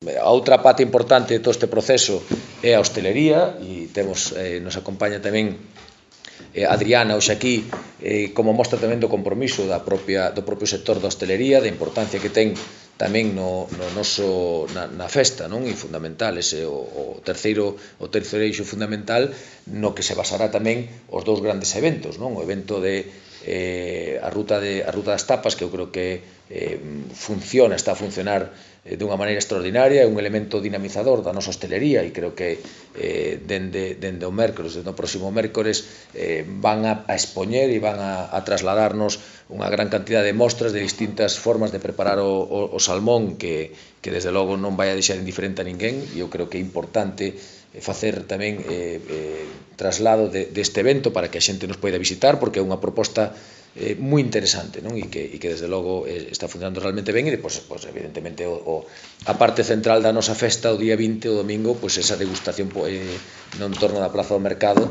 A outra parte importante de todo este proceso é a hostelería e nos acompaña tamén Adriana hoxe aquí como mostra tamén do compromiso do propio sector da hostelería, da importancia que ten tamén na festa, non? E fundamental, ese o terceiro eixo fundamental no que se basará tamén os dous grandes eventos, non? O evento de a Ruta das Tapas, que eu creo que está a funcionar dunha maneira extraordinaria, é un elemento dinamizador da nosa hostelería e creo que dende o próximo mércores van a expoñer e van a trasladarnos unha gran cantidad de mostras de distintas formas de preparar o salmón que desde logo non vai a deixar indiferente a ninguén e eu creo que é importante facer tamén traslado deste evento para que a xente nos poida visitar porque é unha proposta moi interesante, non? E que desde logo está funcionando realmente ben e depois evidentemente a parte central da nosa festa o día 20 o domingo, esa degustación no entorno da Praza do Mercado